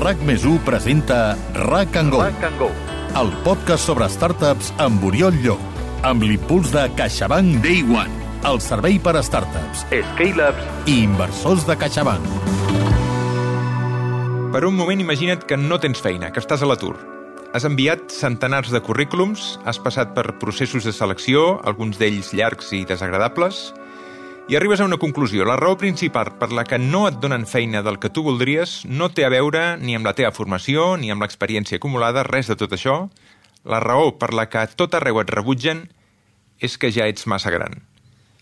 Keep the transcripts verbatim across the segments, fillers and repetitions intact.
RAC més u presenta RAC and Go, RAC and Go, el podcast sobre startups amb Oriol Llop, amb l'impuls de CaixaBank Day One, el servei per a startups, scale-ups i inversors de CaixaBank. Per un moment imagina't que no tens feina, que estàs a l'atur. Has enviat centenars de currículums, has passat per processos de selecció, alguns d'ells llargs i desagradables, i arribes a una conclusió. La raó principal per la que no et donen feina del que tu voldries no té a veure ni amb la teva formació, ni amb l'experiència acumulada, res de tot això. La raó per la que a tot arreu et rebutgen és que ja ets massa gran.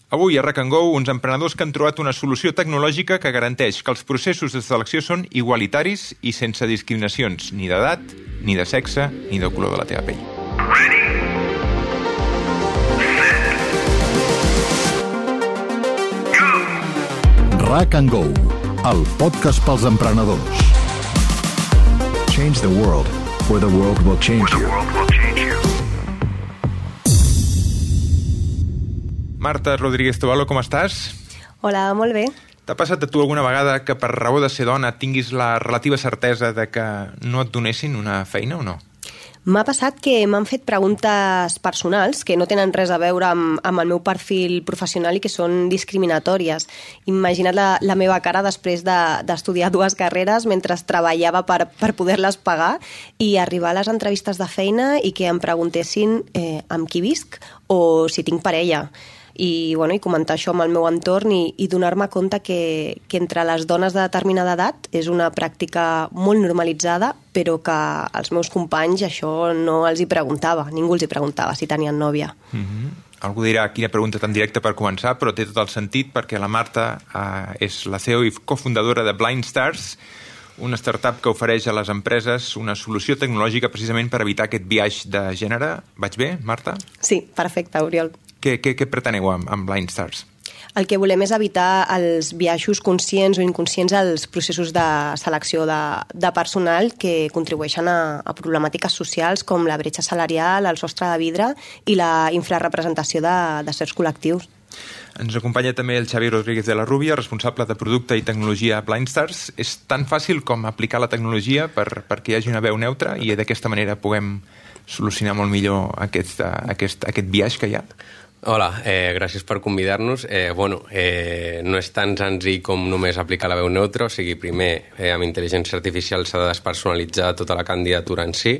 Avui a RAC and Go, uns emprenedors que han trobat una solució tecnològica que garanteix que els processos de selecció són igualitaris i sense discriminacions ni d'edat, ni de sexe, ni de color de la teva pell. RAC and Go, el podcast pels emprenedors. Change the world, or the world will change you. Marta Rodríguez Tobalo, com estàs? Hola, molt bé. T'ha passat a tu alguna vegada que per raó de ser dona tinguis la relativa certesa de que no et donessin una feina o no? M'ha passat que m'han fet preguntes personals que no tenen res a veure amb, amb el meu perfil professional i que són discriminatòries. Imagina't la, la meva cara després de, d'estudiar dues carreres mentre treballava per, per poder-les pagar i arribar a les entrevistes de feina i que em preguntessin eh, amb qui visc o si tinc parella. I, bueno, i comentar això amb el meu entorn i, i donar-me compte que, que entre les dones de determinada edat és una pràctica molt normalitzada, però que als meus companys això no els hi preguntava, ningú els hi preguntava si tenien nòvia. Mm-hmm. Algú dirà quina pregunta tan directa per començar, però té tot el sentit perquè la Marta eh, és la C E O i cofundadora de Blind Stars, una startup que ofereix a les empreses una solució tecnològica precisament per evitar aquest biaix de gènere. Vaig bé, Marta? Sí, perfecte, Oriol. Què, què, què preteneu amb, amb Blind Stars? El que volem és evitar els biaixos conscients o inconscients als processos de selecció de, de personal que contribueixen a, a problemàtiques socials com la bretxa salarial, el sostre de vidre i la infrarrepresentació de, de certs col·lectius. Ens acompanya també el Xavi Rodríguez de la Rúbia, responsable de producte i tecnologia a Blind Stars. És tan fàcil com aplicar la tecnologia per, perquè hi hagi una veu neutra i d'aquesta manera puguem solucionar molt millor aquest, aquest, aquest biaix que hi ha? Hola, eh, gràcies per convidar-nos. Eh, bueno, eh, no és tan senzill com només aplicar la veu neutra, o sigui, primer, eh, amb intel·ligència artificial s'ha de despersonalitzar tota la candidatura en si,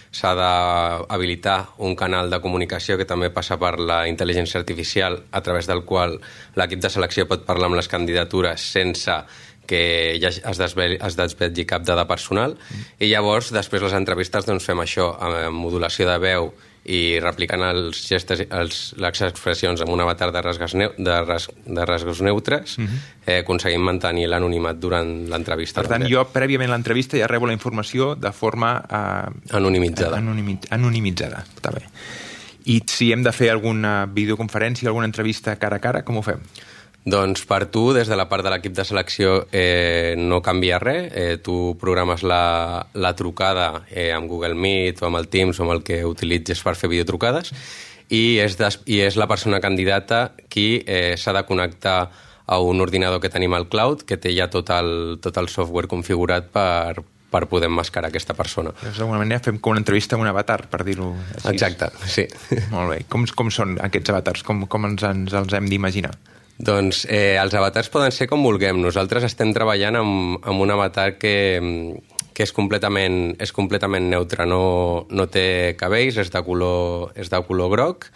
s'ha d'habilitar un canal de comunicació que també passa per la intel·ligència artificial, a través del qual l'equip de selecció pot parlar amb les candidatures sense que ja es desvetlli, es desvetlli cap dada personal, mm. i llavors, després les entrevistes, doncs fem això, amb modulació de veu i replicant els gestes, els, les expressions amb un avatar de rasgos, neu, de ras, de rasgos neutres, mm-hmm. eh, aconseguim mantenir l'anonimat durant l'entrevista. Per tant, també. Jo, prèviament a l'entrevista, ja rebo la informació de forma eh, anonimitzada. Anonimi, anonimitzada, està bé. I si hem de fer alguna videoconferència, alguna entrevista cara a cara, com ho fem? Doncs per tu, des de la part de l'equip de selecció, eh, no canvia res. Eh, tu programes la, la trucada eh, amb Google Meet o amb el Teams o amb el que utilitzes per fer videotrucades i és, des, i és la persona candidata qui eh, s'ha de connectar a un ordinador que tenim al cloud, que té ja tot el, tot el software configurat per, per poder emmascarar aquesta persona. D'alguna manera fem com una entrevista amb un avatar, per dir-ho així. Exacte, sí. Molt bé. Com, com són aquests avatars? Com, com ens, ens els hem d'imaginar? Doncs eh, els avatars poden ser com vulguem. Nosaltres estem treballant amb, amb un avatar que, que és completament, és completament neutre. No, no té cabells, és de color, és de color groc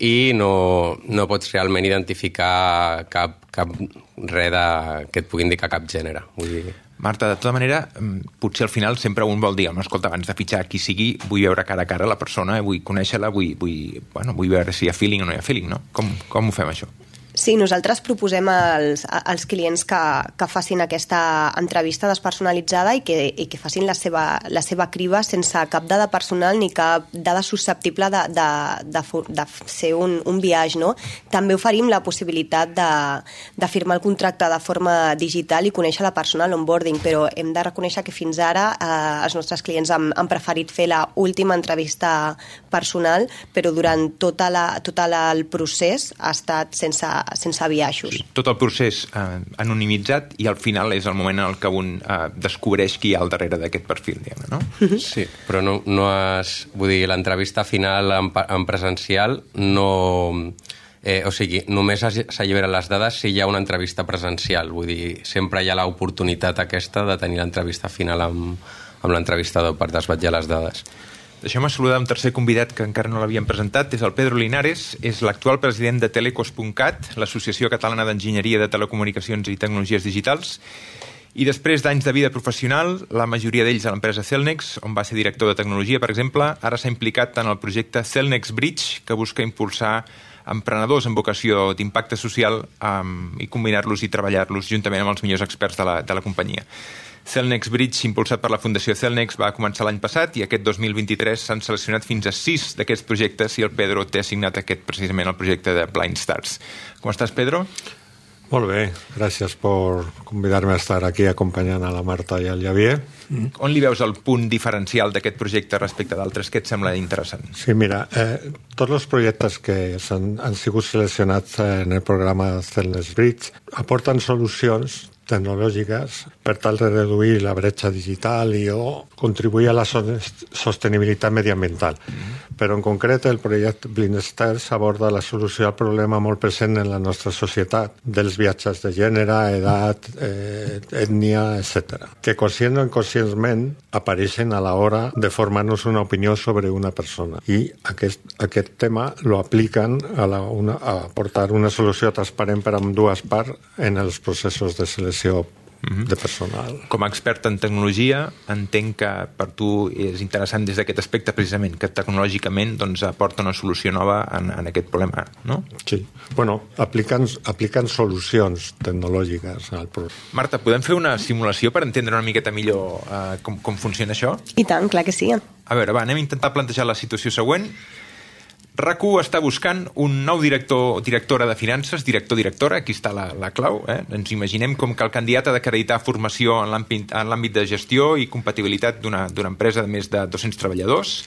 i no, no pots realment identificar cap, cap res de, que et pugui indicar cap gènere. Vull dir... Marta, de tota manera, potser al final sempre un vol dir, no, escolta, abans de fitxar qui sigui, vull veure cara a cara la persona, vull conèixer-la, vull, vull, bueno, vull veure si hi ha feeling o no hi ha feeling, no? Com, com ho fem, això? Sí, nosaltres proposem als, als clients que, que facin aquesta entrevista despersonalitzada i que, i que facin la seva, la seva criba sense cap dada personal ni cap dada susceptible de, de, de, de ser un, un biaix, no? També oferim la possibilitat de, de firmar el contracte de forma digital i conèixer la persona a l'onboarding, però hem de reconèixer que fins ara eh, els nostres clients han, han preferit fer la última entrevista personal, però durant tota la, tot el procés ha estat sense sense biaixos. Sí, tot el procés eh, anonimitzat i al final és el moment en el que un eh, descobreix qui hi ha al darrere d'aquest perfil, diguem-ne, no? Mm-hmm. Sí, però no, no has... Vull dir, l'entrevista final en, en presencial no... Eh, o sigui, només s'alliberen les dades si hi ha una entrevista presencial. Vull dir, sempre hi ha l'oportunitat aquesta de tenir l'entrevista final amb, amb l'entrevistador per desvetllar les dades. Deixeu-me saludar un tercer convidat que encara no l'havíem presentat. És el Pedro Linares, és l'actual president de Telecos punt cat, l'Associació Catalana d'Enginyeria de Telecomunicacions i Tecnologies Digitals, i després d'anys de vida professional, la majoria d'ells a l'empresa Cellnex, on va ser director de tecnologia, per exemple, ara s'ha implicat en el projecte Cellnex Bridge, que busca impulsar emprenedors amb vocació d'impacte social um, i combinar-los i treballar-los juntament amb els millors experts de la, de la companyia. Cellnex Bridge, impulsat per la Fundació Cellnex, va començar l'any passat i aquest dos mil vint-i-tres s'han seleccionat fins a sis d'aquests projectes i el Pedro té assignat aquest precisament el projecte de Blind Stars. Com estàs, Pedro? Molt bé, gràcies per convidar-me a estar aquí acompanyant a la Marta i al Javier. Mm. On li veus el punt diferencial d'aquest projecte respecte d'altres? Què et sembla interessant? Sí, mira, eh, tots els projectes que han, han sigut seleccionats en el programa Cellnex Bridge aporten solucions tecnològiques per tal de reduir la bretxa digital i o contribuir a la sostenibilitat mediambiental. Mm-hmm. Però en concret el projecte Blind Stars aborda la solució al problema molt present en la nostra societat dels viatges de gènere, edat, eh, ètnia, etcètera, que conscient o inconscientment apareixen a l'hora de formar-nos una opinió sobre una persona. I aquest, aquest tema lo apliquen a, la, una, a aportar una solució transparent per a dues parts en els processos de selecció de personal. Com a expert en tecnologia, entenc que per tu és interessant des d'aquest aspecte precisament, que tecnològicament doncs, aporta una solució nova en, en aquest problema, no? Sí. Bueno, apliquen, apliquen solucions tecnològiques al problema. Marta, podem fer una simulació per entendre una miqueta millor eh, com, com funciona això? I tant, clar que sí. A veure, va, anem a intentar plantejar la situació següent. RAC1 està buscant un nou director directora de finances, director-directora, aquí està la, la clau. Eh? Ens imaginem com que el candidat ha d'acreditar formació en l'àmbit de gestió i compatibilitat d'una empresa de més de dos-cents treballadors,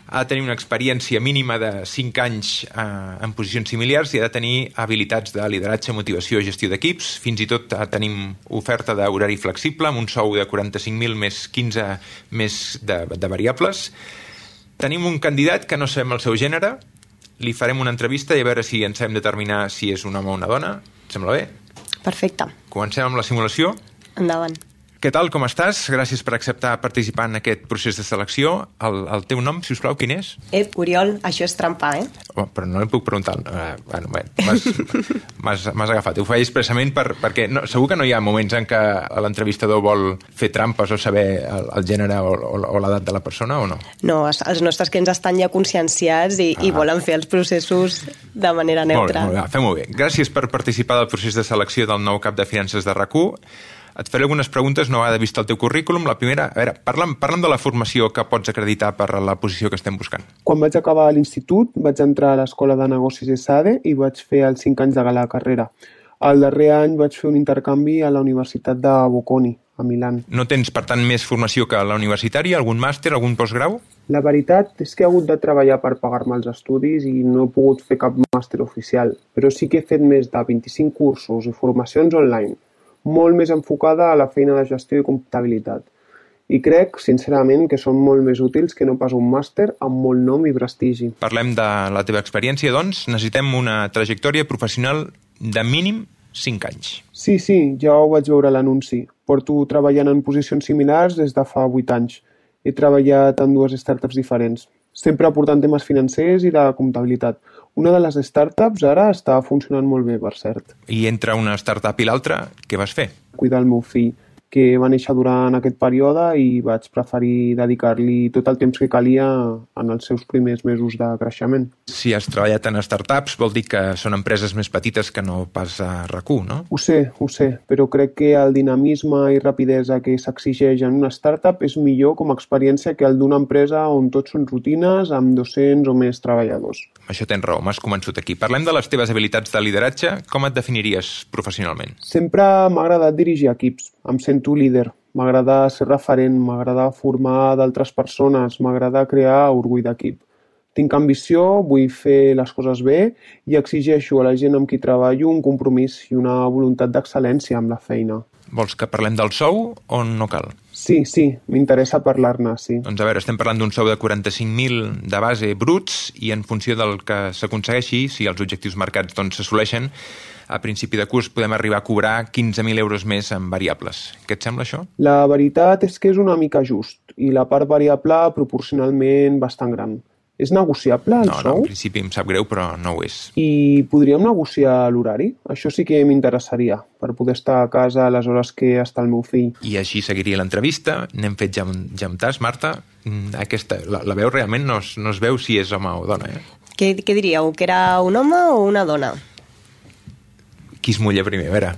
ha de tenir una experiència mínima de cinc anys eh, en posicions similars i ha de tenir habilitats de lideratge, motivació i gestió d'equips. Fins i tot eh, tenim oferta d'horari flexible amb un sou de quaranta-cinc mil més quinze més de, de variables. Tenim un candidat que no sabem el seu gènere, li farem una entrevista i a veure si ens hem de determinar si és un home o una dona. Et sembla bé? Perfecte. Comencem amb la simulació. Endavant. Què tal, com estàs? Gràcies per acceptar participar en aquest procés de selecció. El, el teu nom, si us plau, quin és? Ep, Oriol, això és trampar, eh? Oh, però no li puc preguntar. Uh, bueno, bueno, m'has agafat. Ho faig expressament per, perquè no, segur que no hi ha moments en què l'entrevistador vol fer trampes o saber el, el gènere o, o, o l'edat de la persona o no? No, els nostres clients estan ja conscienciats i, ah. i volen fer els processos de manera neutra. Molt bé, molt bé, fem-ho bé. Gràcies per participar del procés de selecció del nou cap de finances de RAC1. Et faré algunes preguntes, no ha de vist el teu currículum. La primera, a veure, parla'm, parla'm de la formació que pots acreditar per la posició que estem buscant. Quan vaig acabar l'institut, vaig entrar a l'Escola de Negocis ESADE i vaig fer els cinc anys de la carrera. El darrer any vaig fer un intercanvi a la Universitat de Bocconi, a Milà. No tens, per tant, més formació que la universitària? Algun màster, algun postgrau? La veritat és que he hagut de treballar per pagar-me els estudis i no he pogut fer cap màster oficial, però sí que he fet més de vint-i-cinc cursos i formacions online, molt més enfocada a la feina de gestió i comptabilitat. I crec, sincerament, que són molt més útils que no pas un màster amb molt nom i prestigi. Parlem de la teva experiència, doncs. Necessitem una trajectòria professional de mínim cinc anys. Sí, sí, ja ho vaig veure a l'anunci. Porto treballant en posicions similars des de fa vuit anys. He treballat en dues startups diferents, sempre aportant temes financers i de comptabilitat. Una de les startups ara està funcionant molt bé, per cert. I entre una startup i l'altra, què vas fer? Cuidar el meu fill, que va néixer durant aquest període i vaig preferir dedicar-li tot el temps que calia en els seus primers mesos de creixement. Si has treballat en startups, vol dir que són empreses més petites que no pas a RAC1, no? Ho sé, ho sé, però crec que el dinamisme i rapidesa que s'exigeix en una startup és millor com a experiència que el d'una empresa on tots són rutines amb dos-cents o més treballadors. Això tens raó, m'has convençut aquí. Parlem de les teves habilitats de lideratge. Com et definiries professionalment? Sempre m'ha agradat dirigir equips. Em sento líder, m'agrada ser referent, m'agrada formar d'altres persones, m'agrada crear orgull d'equip. Tinc ambició, vull fer les coses bé i exigeixo a la gent amb qui treballo un compromís i una voluntat d'excel·lència amb la feina. Vols que parlem del sou o no cal? Sí, sí, m'interessa parlar-ne, sí. Doncs a veure, estem parlant d'un sou de quaranta-cinc mil de base bruts i en funció del que s'aconsegueixi, si els objectius marcats doncs s'assoleixen, a principi de curs podem arribar a cobrar quinze mil euros més en variables. Què et sembla això? La veritat és que és una mica just i la part variable proporcionalment bastant gran. És negociable el no, sou? No, en principi em sap greu, però no ho és. I podríem negociar l'horari? Això sí que m'interessaria, per poder estar a casa a les hores que està el meu fill. I així seguiria l'entrevista. N'hem fet ja un, ja un tas, Marta. Aquesta, la, la veu realment no es, no es veu si és home o dona, eh? Què, què diríeu? Que era un home o una dona? Qui es mulla primer? A veure,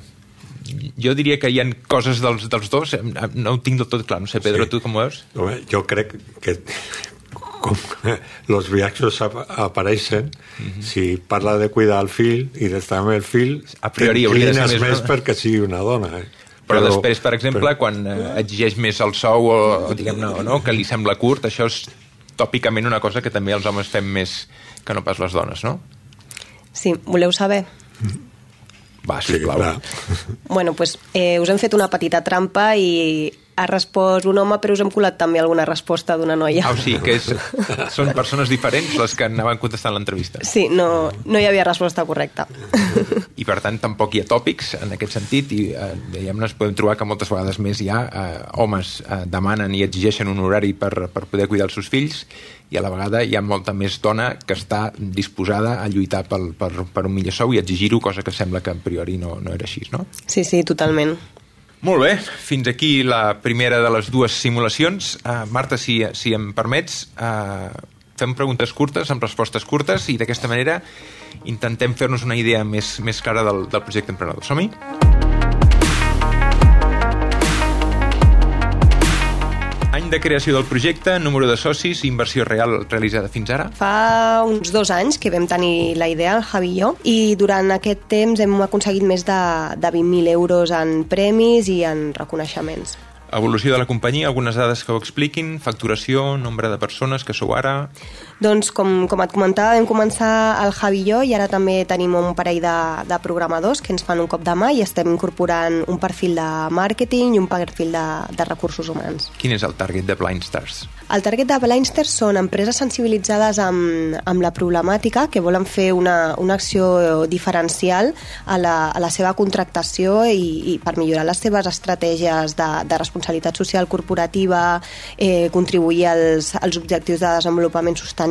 jo diria que hi ha coses dels, dels dos, no ho tinc del tot clar. No sé, Pedro, sí. Tu com ho veus? Jo crec que com els viatges apareixen, mm-hmm. si parla de cuidar el fill i d'estar amb el fill, a priori hauria de ser més, més perquè sigui una dona. Eh? Però, però després, per exemple, però... quan eh, exigeix més el sou o, o diguem-ne, no, que li sembla curt, això és tòpicament una cosa que també els homes fem més que no pas les dones, no? Sí, voleu saber? Va, sisplau. Sí, bueno, doncs eh, us hem fet una petita trampa i ha respost un home, però us hem colat també alguna resposta d'una noia. Ah, sí, que és, són persones diferents les que anaven contestant l'entrevista. Sí, no, no hi havia resposta correcta. I per tant tampoc hi ha tòpics en aquest sentit i eh, diguem-ne, es podem trobar que moltes vegades més hi ha eh, homes eh, demanen i exigeixen un horari per, per poder cuidar els seus fills i a la vegada hi ha molta més dona que està disposada a lluitar pel, per, per un millor sou i exigir-ho, cosa que sembla que a priori no, no era així, no? Sí, sí, totalment. Molt bé, fins aquí la primera de les dues simulacions. Uh, Marta, si, si em permets, uh, fem preguntes curtes amb respostes curtes i d'aquesta manera intentem fer-nos una idea més, més clara del, del projecte emprenedor. Som-hi? Any de creació del projecte, número de socis, inversió real realitzada fins ara? Fa uns dos anys que vam tenir la idea, el Javi i jo, i durant aquest temps hem aconseguit més de, de vint mil euros en premis i en reconeixements. Evolució de la companyia, algunes dades que ho expliquin, facturació, nombre de persones que sou ara... Doncs, com, com et comentava, vam començar el Javi i jo i ara també tenim un parell de, de programadors que ens fan un cop de mà i estem incorporant un perfil de màrqueting i un perfil de, de recursos humans. Quin és el target de Blind Stars? El target de Blind Stars són empreses sensibilitzades amb, amb la problemàtica que volen fer una, una acció diferencial a la, a la seva contractació i, i per millorar les seves estratègies de, de responsabilitat social corporativa, eh, contribuir als, als objectius de desenvolupament sostenible.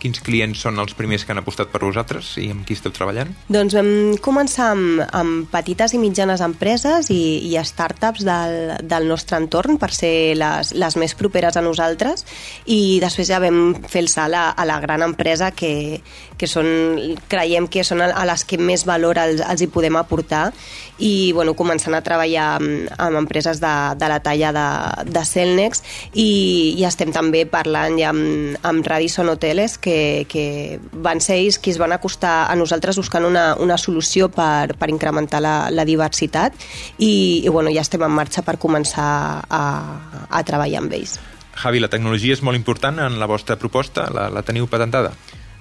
Quins clients són els primers que han apostat per vosaltres i amb qui esteu treballant? Doncs vam començar amb, amb petites i mitjanes empreses i, i startups del, del nostre entorn per ser les, les més properes a nosaltres i després ja vam fer el salt a, a la gran empresa que, que són, creiem que són a les que més valor els, els hi podem aportar i bueno, començant a treballar amb, amb empreses de, de la talla de, de Celnex i, i estem també parlant ja amb, amb Radisson Hoteles que, que van ser ells qui es van acostar a nosaltres buscant una, una solució per, per incrementar la, la diversitat i, i bueno, ja estem en marxa per començar a, a treballar amb ells. Javi, la tecnologia és molt important en la vostra proposta, la, la teniu patentada?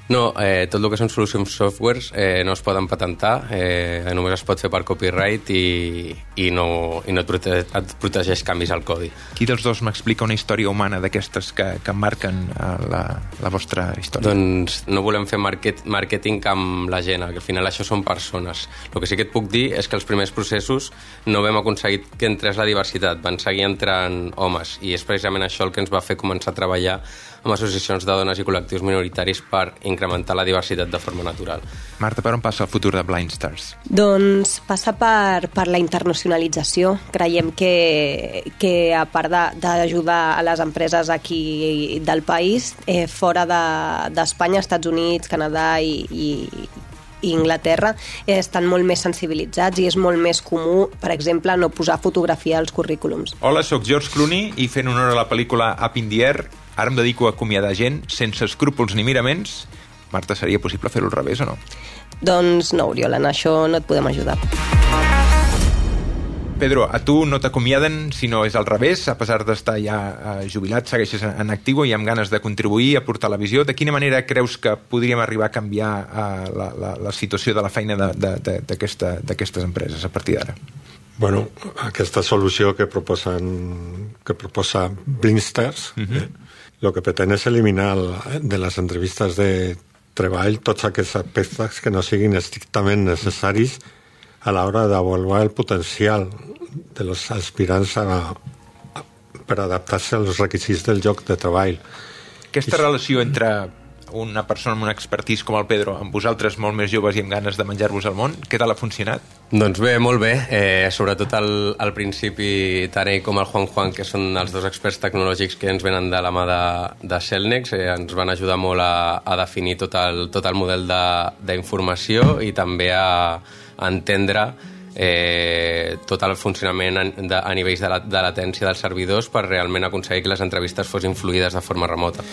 No, eh, tot el que són solucions softwares eh, no es poden patentar, eh, només es pot fer per copyright i, i, no, i no et, prote et protegeix canvis al codi. Qui dels dos m'explica una història humana d'aquestes que, que marquen la, la vostra història? Doncs no volem fer market, màrqueting amb la gent, que al final això són persones. El que sí que et puc dir és que els primers processos no vam aconseguir que entrés la diversitat, van seguir entrant homes i és precisament això el que ens va fer començar a treballar amb associacions de dones i col·lectius minoritaris per incrementar la diversitat de forma natural. Marta, per on passa el futur de Blind Stars? Doncs passa per, per la internacionalització. Creiem que, que a part d'ajudar a les empreses aquí del país, eh, fora d'Espanya, de, Estats Units, Canadà i, i i Inglaterra eh, estan molt més sensibilitzats i és molt més comú, per exemple, no posar fotografia als currículums. Hola, sóc George Clooney i fent honor a la pel·lícula Up in the Air, ara em dedico a acomiadar gent sense escrúpols ni miraments. Marta, seria possible fer-ho al revés o no? Doncs no, Oriol, en això no et podem ajudar. Pedro, a tu no t'acomiaden, sinó és al revés, a pesar d'estar ja jubilat, segueixes en actiu i amb ganes de contribuir a portar la visió. De quina manera creus que podríem arribar a canviar la, la, la situació de la feina d'aquestes empreses a partir d'ara? Bueno, aquesta solució que proposen, que proposa Bringsters, uh-huh. eh, el que pretén és eliminar de les entrevistes de treball tots aquests aspectes que no siguin estrictament necessaris a l'hora d'avaluar el potencial dels aspirants a, a, per adaptar-se als requisits del lloc de treball. Aquesta I... relació entre una persona amb una expertise com el Pedro, amb vosaltres molt més joves i amb ganes de menjar-vos al món, què tal ha funcionat? Doncs bé, molt bé. Eh, sobretot al, al principi, tant ell com el Juan Juan, que són els dos experts tecnològics que ens venen de la mà de, de Cellnex, eh, ens van ajudar molt a, a definir tot el, tot el model d'informació i també a, a entendre eh, tot el funcionament a, de, a nivells de, la, de latència dels servidors per realment aconseguir que les entrevistes fossin fluides de forma remota.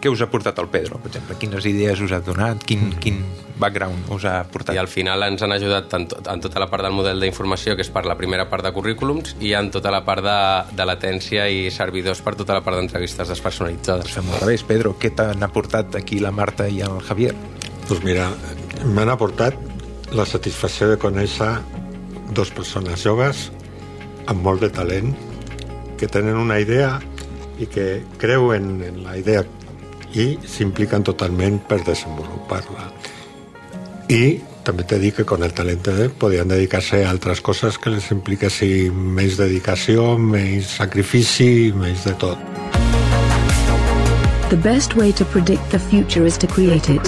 Què us ha portat el Pedro, per exemple? Quines idees us ha donat? Quin, quin background us ha portat? I al final ens han ajudat en, tot, en tota la part del model d'informació, que és per la primera part de currículums, i en tota la part de, de latència i servidors per tota la part d'entrevistes despersonalitzades. Pues fem al revés, Pedro. Què t'han aportat aquí la Marta i el Javier? Doncs mira, m'han aportat la satisfacció de conèixer dos persones joves amb molt de talent, que tenen una idea i que creuen en la idea i s'impliquen totalment per desenvolupar-la. I també t'he dit que con el talent podien dedicar-se a altres coses que les impliquessin més dedicació, més sacrifici, més de tot. The best way to predict the future is to create it.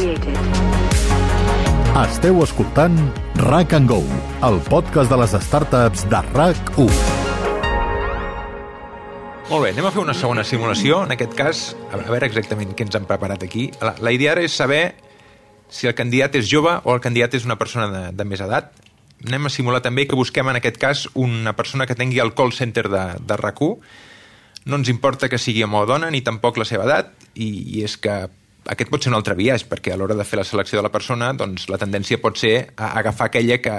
Esteu escoltant RAC and Go, el podcast de les startups de RAC u. Molt bé, anem a fer una segona simulació. En aquest cas, a veure exactament què ens han preparat aquí. La, la idea ara és saber si el candidat és jove o el candidat és una persona de, de més edat. Anem a simular també que busquem en aquest cas una persona que tingui el call center de, de RAC u. No ens importa que sigui home o dona, ni tampoc la seva edat, i, i és que aquest pot ser un altre biaix, perquè a l'hora de fer la selecció de la persona, doncs la tendència pot ser a agafar aquella que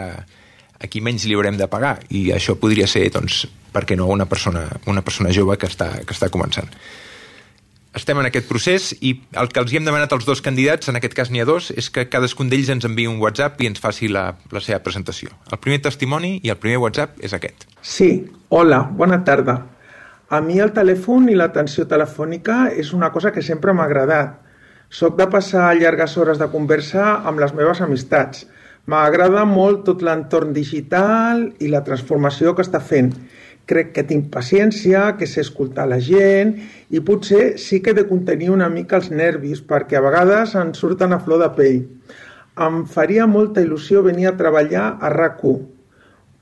a qui menys li haurem de pagar, i això podria ser, doncs, per què no, una persona, una persona jove que està, que està començant. Estem en aquest procés i el que els hi hem demanat als dos candidats, en aquest cas n'hi ha dos, és que cadascun d'ells ens enviï un WhatsApp i ens faci la, la seva presentació. El primer testimoni i el primer WhatsApp és aquest. Sí, hola, bona tarda. A mi el telèfon i l'atenció telefònica és una cosa que sempre m'ha agradat. Soc de passar llargues hores de conversa amb les meves amistats. M'agrada molt tot l'entorn digital i la transformació que està fent. Crec que tinc paciència, que sé escoltar la gent i potser sí que he de contenir una mica els nervis perquè a vegades em surten a flor de pell. Em faria molta il·lusió venir a treballar a RAC u.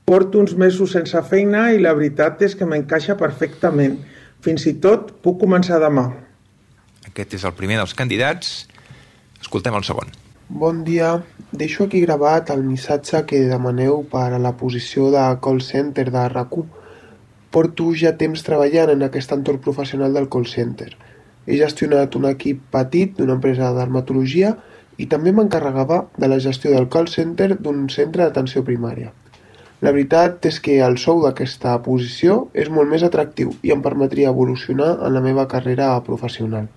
Porto uns mesos sense feina i la veritat és que m'encaixa perfectament. Fins i tot puc començar demà. Aquest és el primer dels candidats. Escoltem el segon. Bon dia. Deixo aquí gravat el missatge que demaneu per a la posició de call center de RAC u. Porto ja temps treballant en aquest entorn professional del call center. He gestionat un equip petit d'una empresa de dermatologia i també m'encarregava de la gestió del call center d'un centre d'atenció primària. La veritat és que el sou d'aquesta posició és molt més atractiu i em permetria evolucionar en la meva carrera professional.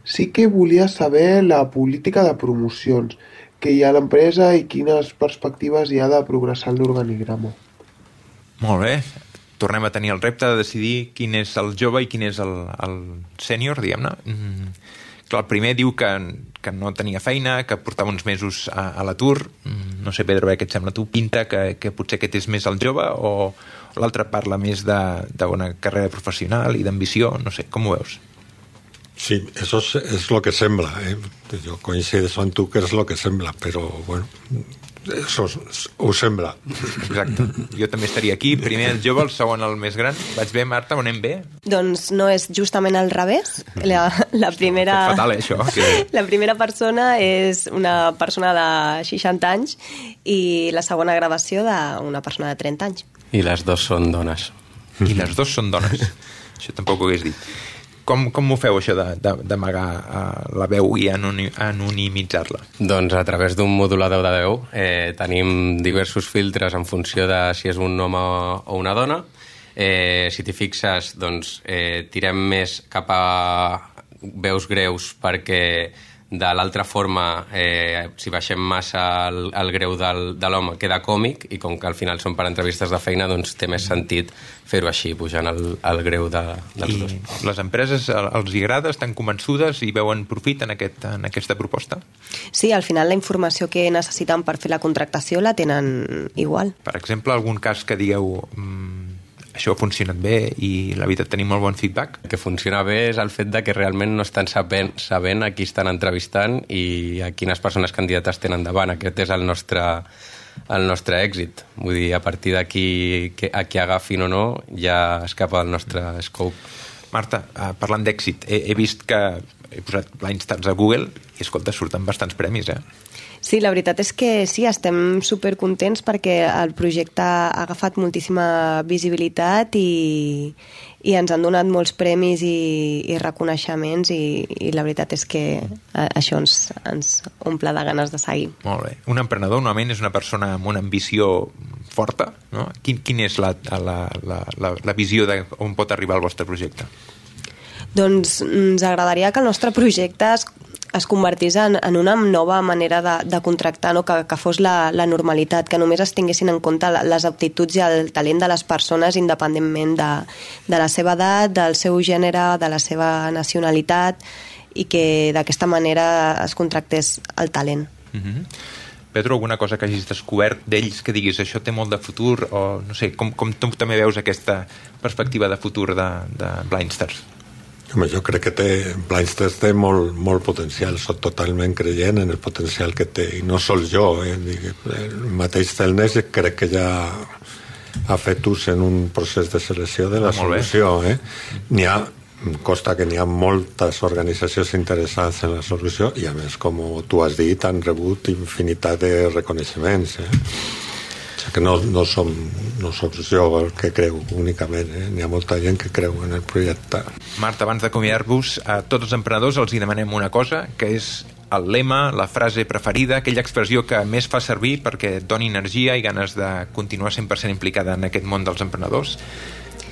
Sí que volia saber la política de promocions que hi ha a l'empresa i quines perspectives hi ha de progressar l'organigrama. Molt bé. Tornem a tenir el repte de decidir quin és el jove i quin és el, el sènior, diguem-ne. Mm, clar, el primer diu que, que no tenia feina, que portava uns mesos a, a l'atur. Mm, no sé, Pedro, què et sembla tu? Pinta que, que potser aquest és més el jove o l'altre parla més d'una carrera professional i d'ambició? No sé, com ho veus? Sí, eso es, es lo que sembla. ¿eh? Yo coincido amb tu que és lo que sembla, però, bueno, eso ho sembla. Exacte. Jo també estaria aquí. Primer el jove, el segon el més gran. Vaig bé, Marta? On anem bé? Doncs no és justament al revés. La, la primera... És fatal, eh, això. Que... La primera persona és una persona de seixanta anys i la segona gravació d'una persona de trenta anys. I les dos són dones. I les dos són dones. Això tampoc ho hagués dit. Com, com ho feu, això d'amagar la veu i anonimitzar-la? Doncs a través d'un modulador de veu eh, tenim diversos filtres en funció de si és un home o una dona. Eh, si t'hi fixes, doncs, eh, tirem més cap a veus greus perquè de l'altra forma, eh, si baixem massa el, el greu del, de l'home, queda còmic, i com que al final són per entrevistes de feina, doncs té més sentit fer-ho així, pujant el, el greu de, dels dos. I les empreses els hi agrada, estan convençudes i veuen profit en, aquest, en aquesta proposta? Sí, al final la informació que necessiten per fer la contractació la tenen igual. Per exemple, algun cas que digueu... Mmm, això ha funcionat bé i la veritat tenim molt bon feedback? El que funciona bé és el fet de que realment no estan sabent, sabent a qui estan entrevistant i a quines persones candidates tenen davant. Aquest és el nostre, el nostre èxit. Vull dir, a partir d'aquí, a qui agafin o no, ja escapa del nostre scope. Marta, parlant d'èxit, he, he vist que he posat Blindstars a Google i, escolta, surten bastants premis, eh? Sí, la veritat és que sí, estem supercontents perquè el projecte ha agafat moltíssima visibilitat i, i ens han donat molts premis i, i reconeixements i, i la veritat és que això ens, ens omple de ganes de seguir. Molt bé. Un emprenedor normalment és una persona amb una ambició forta, no? Quin, quin és la, la, la, la, la visió d'on pot arribar el vostre projecte? Doncs ens agradaria que el nostre projecte es es convertís en, en una nova manera de, de contractar, no? que, que fos la, la normalitat, que només es tinguessin en compte les aptituds i el talent de les persones independentment de, de la seva edat, del seu gènere, de la seva nacionalitat, i que d'aquesta manera es contractés el talent. Mm-hmm. Pedro, alguna cosa que hagis descobert d'ells que diguis això té molt de futur, o no sé, com, com tu també veus aquesta perspectiva de futur de, de Blindstars? Home, jo crec que té, Blindstars té molt, molt potencial, soc totalment creient en el potencial que té, i no sols jo, eh? El mateix Celnes crec que ja ha fet ús en un procés de selecció de la solució. Eh? N'hi ha, costa que n'hi ha moltes organitzacions interessades en la solució i a més, com tu has dit, han rebut infinitat de reconeixements. Eh? Que no, no, som, no som jo el que creu únicament, eh? N'hi ha molta gent que creu en el projecte. Marta, abans d'acomiadar-vos, a tots els emprenedors els hi demanem una cosa, que és el lema, la frase preferida, aquella expressió que més fa servir perquè et doni energia i ganes de continuar cent per cent implicada en aquest món dels emprenedors.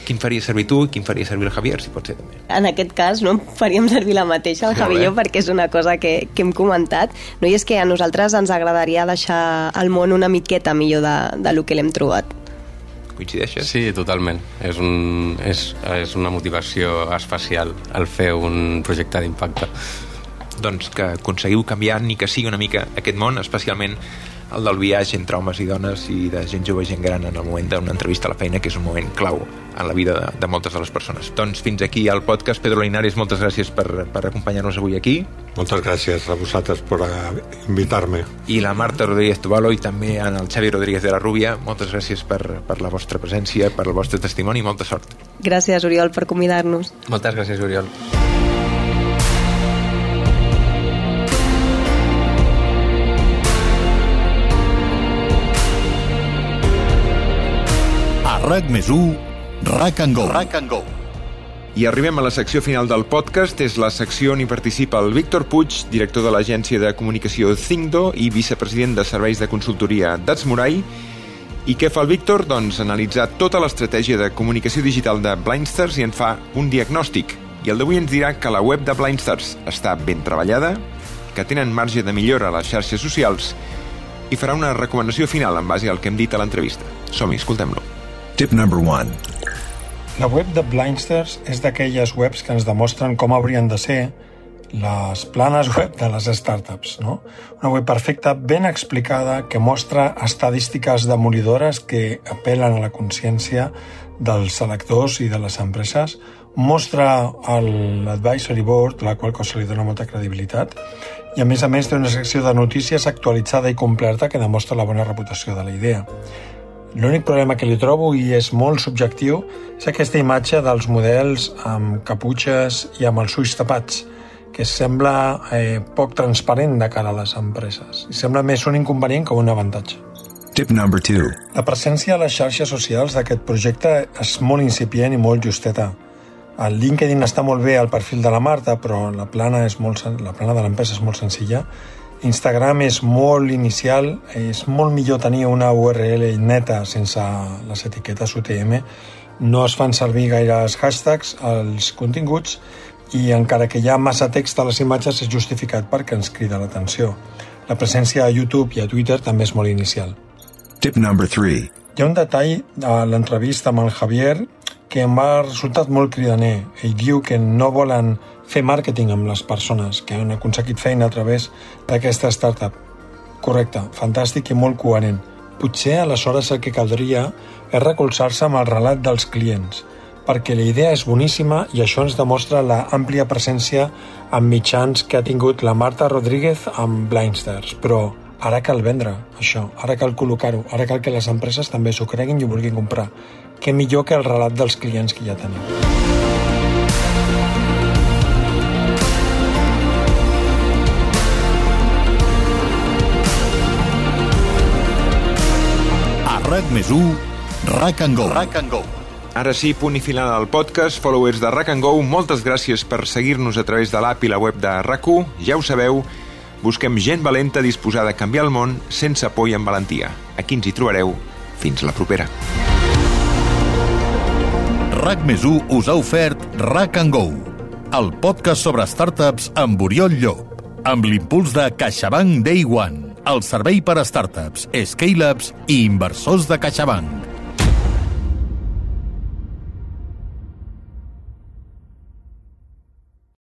Quin faria servir tu i quin faria servir el Javier, si pot ser també? En aquest cas, no, faríem servir la mateixa, el Javier, perquè és una cosa que, que hem comentat. No? I és que a nosaltres ens agradaria deixar el món una miqueta millor de, de lo que l'hem trobat. Coincideixes? Sí, totalment. És, un, és, és una motivació especial el fer un projecte d'impacte. Doncs que aconseguiu canviar ni que sigui una mica aquest món, especialment el del viatge entre homes i dones i de gent jove i gent gran en el moment d'una entrevista a la feina, que és un moment clau en la vida de, de moltes de les persones. Doncs fins aquí el podcast. Pedro Linares, moltes gràcies per, per acompanyar-nos avui aquí. Moltes gràcies a vosaltres per invitar-me. I la Marta Rodríguez Tubalo i també en el Xavi Rodríguez de la Rúbia, moltes gràcies per, per la vostra presència, per el vostre testimoni i molta sort. Gràcies, Oriol, per convidar-nos. Moltes gràcies, Oriol. RAC més u, RAC and Go. RAC and Go. I arribem a la secció final del podcast. És la secció on hi participa el Víctor Puig, director de l'agència de comunicació Thinkdo i vicepresident de serveis de consultoria d'Atsmurai. I què fa el Víctor? Doncs analitzar tota l'estratègia de comunicació digital de Blindstars i en fa un diagnòstic. I el d'avui ens dirà que la web de Blindstars està ben treballada, que tenen marge de millora a les xarxes socials i farà una recomanació final en base al que hem dit a l'entrevista. Som-hi, escoltem-lo. Tip number one. La web de Blindstars és d'aquelles webs que ens demostren com haurien de ser les planes web de les startups, no? Una web perfecta, ben explicada, que mostra estadístiques demolidores que apel·len a la consciència dels selectors i de les empreses, mostra l'advisory board, la qual cosa li dona molta credibilitat, i a més a més té una secció de notícies actualitzada i completa que demostra la bona reputació de la idea. L'únic problema que li trobo, i és molt subjectiu, és aquesta imatge dels models amb caputxes i amb els ulls tapats, que sembla eh, poc transparent de cara a les empreses. I sembla més un inconvenient que un avantatge. Tip number two. La presència a les xarxes socials d'aquest projecte és molt incipient i molt justeta. El LinkedIn està molt bé al perfil de la Marta, però la plana, és molt, la plana de l'empresa és molt senzilla. Instagram és molt inicial, és molt millor tenir una U R L neta sense les etiquetes U T M. No es fan servir gaires hashtags als continguts i encara que hi ha massa text a les imatges és justificat perquè ens crida l'atenció. La presència a YouTube i a Twitter també és molt inicial. Tip number three. Hi ha un detall a l'entrevista amb el Javier que em va resultat molt cridaner. Ell diu que no volen fer màrqueting amb les persones que han aconseguit feina a través d'aquesta startup. Correcte, fantàstic i molt coherent. Potser aleshores el que caldria és recolzar-se amb el relat dels clients, perquè la idea és boníssima i això ens demostra la àmplia presència en mitjans que ha tingut la Marta Rodríguez amb Blindsters, però ara cal vendre això, ara cal col·locar-ho, ara cal que les empreses també s'ho creguin i ho vulguin comprar. Què millor que el relat dels clients que ja tenim. A RAC més u, RAC and Go. RAC and Go. Ara sí, punt i final al podcast. Followers de RAC and Go, moltes gràcies per seguir-nos a través de l'app i la web de RAC u. Ja ho sabeu, busquem gent valenta disposada a canviar el món sense por i amb valentia. Aquí ens hi trobareu. Fins la propera. RAC més u us ha ofert RAC and Go, el podcast sobre startups amb Oriol Llop, amb l'impuls de CaixaBank Day One, el servei per a startups, scale-ups i inversors de CaixaBank.